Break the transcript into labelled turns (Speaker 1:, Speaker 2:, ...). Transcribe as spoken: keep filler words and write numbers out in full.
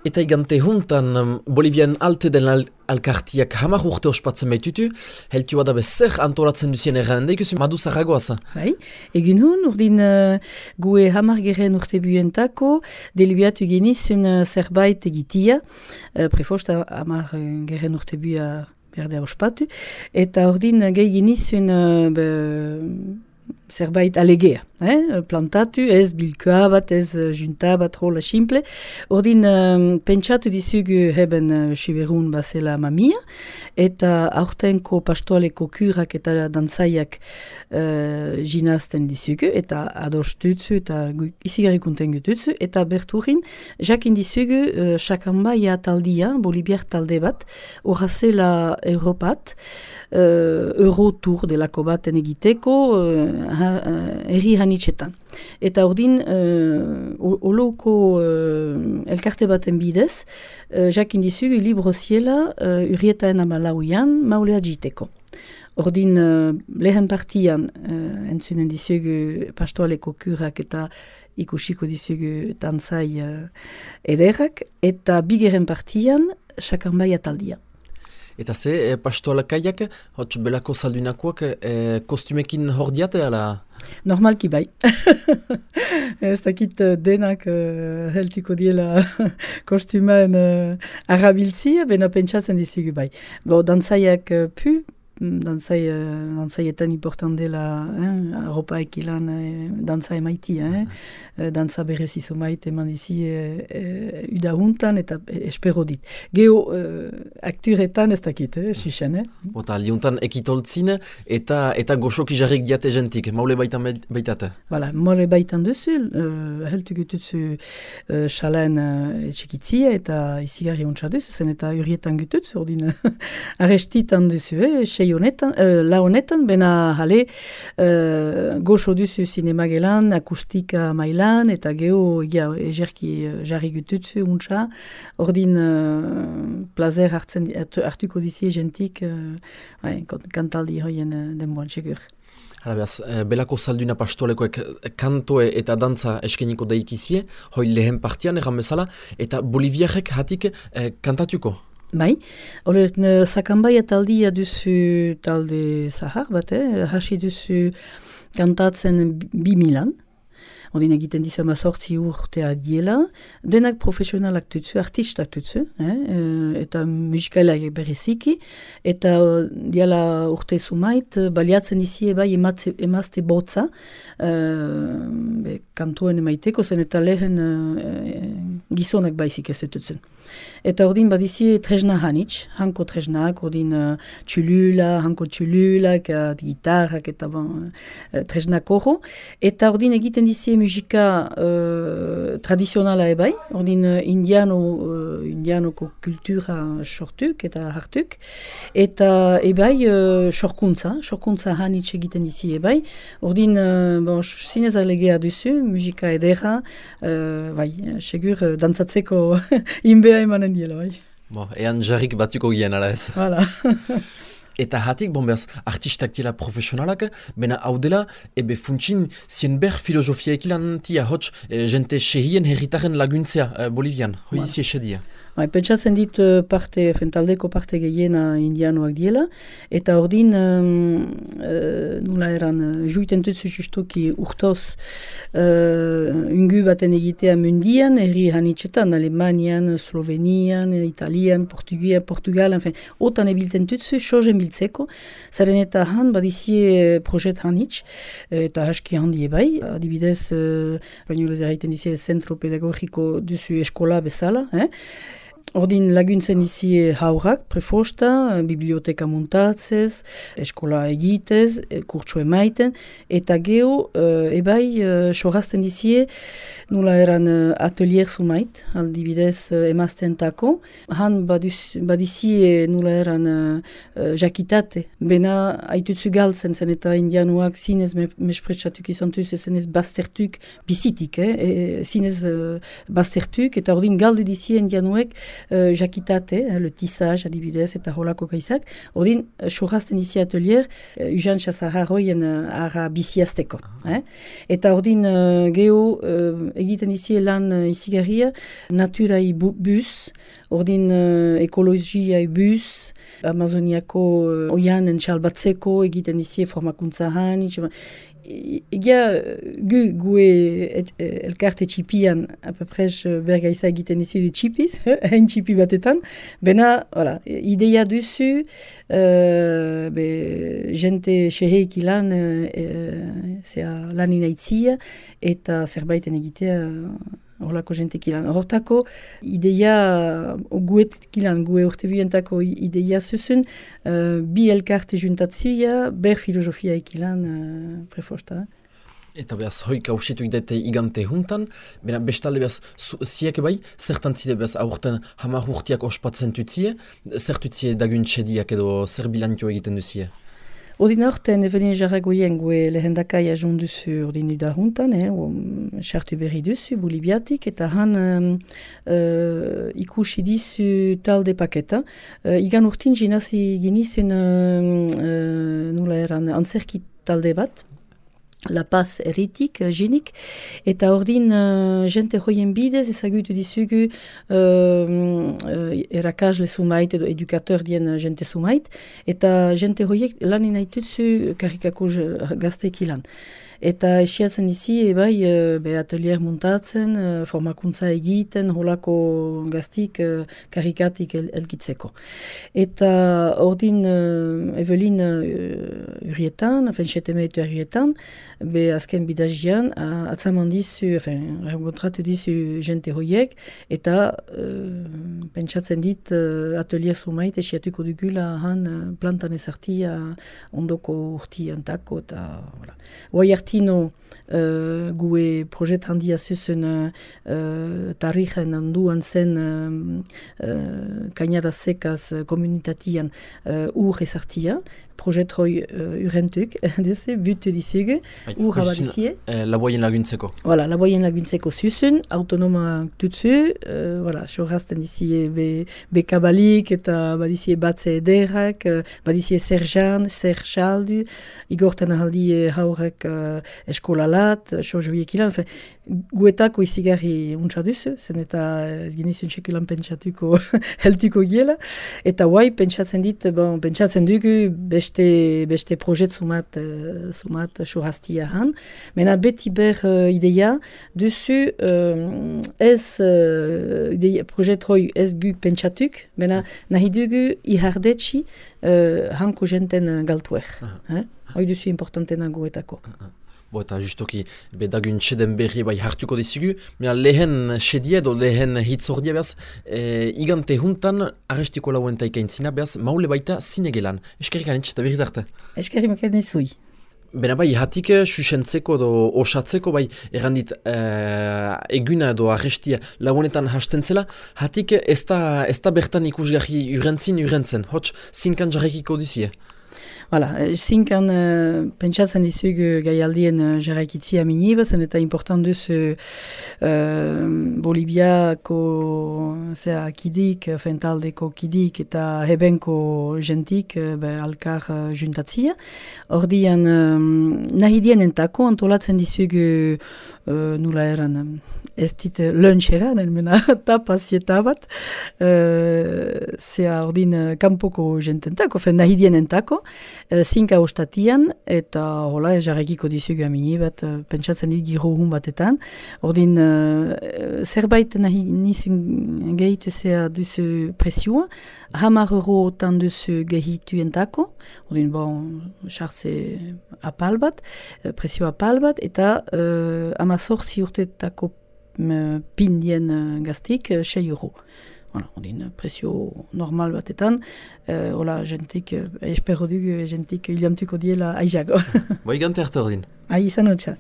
Speaker 1: Eta igante juntan, Bolivian alte den al alkartiak hamar urte ospatzen baitutu, heltu bada bezer antolatzen duzien erran, ikusi madu zaragoaz.
Speaker 2: Bai, egin hun, urdin uh, gue hamar geren urte buentako, delibiatu genizun uh, zerbait egitia, uh, prefosta hamar uh, geren urte bua berdea ospatu, eta urdin uh, gehi genizun uh, be, zerbait alegea, eh? Plantatu, ez bilkoa bat, ez junta bat, rola simple. Ordin, um, pentsatu dizugu heben uh, siberun bazela mamia, eta aurtenko pastoaleko kurak eta dantzaiak uh, jinazten dizugu, eta adostutzu, eta izigarrikunten gututzu, eta berturin, jakin dizugu uh, sakambaia taldia, bolibiar talde bat, horazela Europat, uh, Eurotour delako baten egiteko, uh, erri hanitzetan. Eta ordin, uh, oloko uh, elkarte baten bidez, uh, jakin dizugu libro ziela uh, urrietaen amalauian maulea jiteko. Ordin, uh, lehen partian uh, entzunen dizugu pastoaleko kurak eta ikusiko dizugu tantzai uh, ederrak, eta bigeren partian sakambaia taldia.
Speaker 1: Eta ze, e, pastoalakaiak, hotz belako saldunakoak, e, kostumekin hor diate, ala?
Speaker 2: Normalki bai. Ez dakit denak uh, heltiko diela kostumen uh, arabiltzia, bena pentsatzen dizugu bai. Bo, dantzaiak uh, pu, dantzai, uh, dantzaietan important dela, eh, arropa ekilan eh, dantza emaiti, eh, uh, dantza berezizo maite eman dizi eh, eh, uda huntan eta eh, espero dit. Geo uh, akturetan ez dakit, eh, xixen, eh?
Speaker 1: Ota, liuntan ekitoltzin eta eta goxoki jarrik diate jentik, maule baitan baitate.
Speaker 2: Voilà, maule baitan duzu, uh, heltu gututzu uh, xalen uh, etxekitzia eta izigarri untsa duzu, zen eta urrietan gututzu, ordin arestitan duzu, eh, honetan, uh, la honetan, bena jale uh, goxo duzu sinema gelan, akustika mailan, eta geho ja, egerki uh, jarri gututzu, untsa, ordin uh, plazer hartzen, hartuko dizi jentik, uh, ouais, kantaldi hoien uh, denboan segur.
Speaker 1: Hala behaz, e, belako salduna pastolekoek kantoe eta dantza eskeniko daikizie, hoi lehen partian erran bezala, eta boliviarek hatik e, kantatuko.
Speaker 2: Bai, hori sakambaia taldia duzu talde zahar bat, eh? Hasi duzu kantatzen bi milan, odin egiten dizu ama sortzi urtea diela, denak profesionalak tutzu, artistak tutzu, eh? Eta musikailaik bereziki, eta diala urte sumait, baliatzen izie bai ematze, emazte botza, uh, kantuen emaiteko zen eta lehen uh, gizonak baizik ez dututzen. Eta ordin badizie tresna hanitz, hanko tresnak, ordin uh, txulula, hanko txululak, uh, gitarrak eta bon, uh, tresnak horro, eta ordin egiten dizie musika uh, tradizionala ebai, ordin uh, indiano, uh, indianoko kultura sortuk eta hartuk, eta ebai uh, sorkuntza, sorkuntza hanitz egiten dizie ebai, ordin uh, bon, zinez alegea duzu, musika edera, uh, bai, segur uh, dantzatzeko inbea emanen diela, bai.
Speaker 1: Bo, ean jarrik batuko gien, ala ez.
Speaker 2: Voilà.
Speaker 1: Eta hatik, bon behaz, artistak dela profesionalak, bena hau dela, ebe funtsin, zien ber filosofia ekilan tia, hotz, e, jente sehien herritaren laguntzea e, Bolivian, hoi
Speaker 2: Voilà.
Speaker 1: izi esedia.
Speaker 2: Bai, pentsatzen dit parte, fentaldeko parte gehiena indianoak diela, eta ordin, um, uh, nula eran, uh, juiten tutsu justuki urtoz uh, ungu baten egitea mundian, herri hanitzetan, Alemanian, Slovenian, Italian, Portugia, Portugal, enfin, otan ebilten tutsu, sozen biltzeko, zaren eta han badizie projet hanitz, eta haski handi ebai, adibidez, uh, baino lez erraiten dizie zentro pedagogiko duzu eskola bezala, eh? Ordin laguntzen izi haurak, prefosta, biblioteka muntatzez, eskola egitez, kurtso emaiten, eta geho, uh, ebai, uh, sorazten izi, nula eran uh, atelier sumait, aldibidez uh, emazten tako, han badizi nula eran uh, jakitate, bena haitutzu galtzen zen, eta indianuak zinez me, mespretsatuk izan tuz, zenez baztertuk bizitik, eh? e, zinez uh, baztertuk, eta ordin galdu dizi indianuek, uh, jakitate, eh, le tissage adibidez eta holako gaizak, ordin sorrazten izi atelier uh, ujan txazaharroien uh, ara biziazteko. Eh? Eta ordin uh, geho uh, egiten izi lan uh, izigarria, naturai bu bus, ordin uh, ekologiai bus, Amazoniako uh, oianen txalbatzeko egiten izi formakuntza han, egia gu gue et, elkarte txipian apeprez bergaiza egiten izi du txipiz, hain txipi batetan, bena, voilà, ideia duzu, uh, be, jente xeheik ilan, uh, zea lan inaitzia, eta zerbaiten egitea, horlako jentek ilan. Hortako, ideia, guet kilan, gue urte bientako ideia zuzun, uh, bi elkarte juntatzia, ber filosofia ikilan uh, preforta.
Speaker 1: Eta behaz, hoik hausitu idete igante juntan, bena bestalde behaz, ziek bai, zertan zide behaz, aurten hamar urtiak ospatzen tutzie, zer tutzie dagun txediak edo zer bilantio egiten duzie?
Speaker 2: Ordin aurten, evelin jarragoien gue lehendakai ajun duzu ordin uda juntan, eh, sartu berri duzu, bolibiatik, eta han um, uh, ikusi dizu talde paketa. Uh, igan urtin jinazi ginizun uh, uh, nula eran antzerki talde bat, La Paz erritik, jinik, eta ordin uh, jente hoien bidez ezagutu dizugu uh, uh, erakasle sumait edo edukateur dien jente sumait, eta jente hoiek lan inaitutzu karikako gazteik ilan. Eta esiatzen izi, ebai, be atelier muntatzen, formakuntza egiten, holako gaztik uh, karikatik el, elgitzeko. Eta ordin uh, Evelin uh, urietan, afen setemeitu urietan, be azken bidazian, uh, atzaman dizu, afen, renkontratu dizu jente hoiek, eta uh, pentsatzen dit uh, atelier sumait esiatuko dugula han uh, plantan ezartia ondoko urtiantako, eta, voilà. Hoi artino uh, gue projet handia zuzen uh, tarijen handuan zen uh, uh, kainada sekaz uh, komunitatian uh, ur ezartia, projet hoi uh, urentuk, duzu, butu dizugu, ur abadizie.
Speaker 1: Eh, laboien laguntzeko.
Speaker 2: Voilà, laboien laguntzeko zuzen, autonoma tutzu, uh, voilà, sorrazten dizie be, be kabalik eta badizie batze ederrak, uh, badizie zerzan, zerzaldu, igorten ahaldie haurek uh, eskolalat, sojoiek ilan, fe, guetako izigarri untsa duzu, zen eta ez genizun txekulan pentsatuko heltuko giela, eta guai pentsatzen dit, bon, pentsatzen dugu beste, beste projet sumat, uh, sumat soraztia han, mena beti ber uh, ideia duzu uh, ez uh, ideia, projet hoi ez guk pentsatuk, mena nahi dugu ihardetxi uh, hanko jenten galtuer. Uh-huh. Eh? Hoi duzu importantena guetako.
Speaker 1: Uh-huh. Bo, eta justoki, be dagun txeden berri bai hartuko dizugu, mena lehen txedia edo lehen hitzordia behaz, e, igante juntan arrestiko lauen taikaintzina behaz, maule baita zinegelan. Eskerrik anitz eta berriz arte.
Speaker 2: Eskerrik maken izui.
Speaker 1: Bena bai, hatik susentzeko edo osatzeko, bai, errandit uh, eguna edo arrestia lagunetan hasten zela, hatik ez da, ez da bertan ikusgarri urentzin urentzen, hots zinkan jarrekiko duzie.
Speaker 2: Voilà, zinkan uh, pentsatzen dizugu gaialdien uh, jarraikitzia miniba, zen eta important duzu uh, Bolibiako zera kidik, fentaldeko kidik eta hebenko jentik uh, be, alkar uh, juntatzia. Ordian um, nahi dienentako antolatzen dizugu uh, nula eran um, ez dit lunch eran, elmena tapazieta bat, uh, zera ordin uh, kanpoko jententako, fen nahi dienentako, Uh, zinka ostatian, eta hola, jarrekiko dizugu amini bat, uh, pentsatzen dit giro hun batetan. Ordin, uh, zerbait nahi nizun gehitu zea duzu presioa, hamar euro tan duzu gehitu entako, ordin, bon, chartze apal bat, uh, presio apal bat, eta uh, amazortzi urtetako uh, pindien uh, gaztik, uh, sei euro. Voilà, ondin presio normal batetan, uh, hola, jentik, uh, espero dugu, jentik iliantuko diela aizago.
Speaker 1: Bai gante arte ordin.
Speaker 2: Ai, izan hotxa.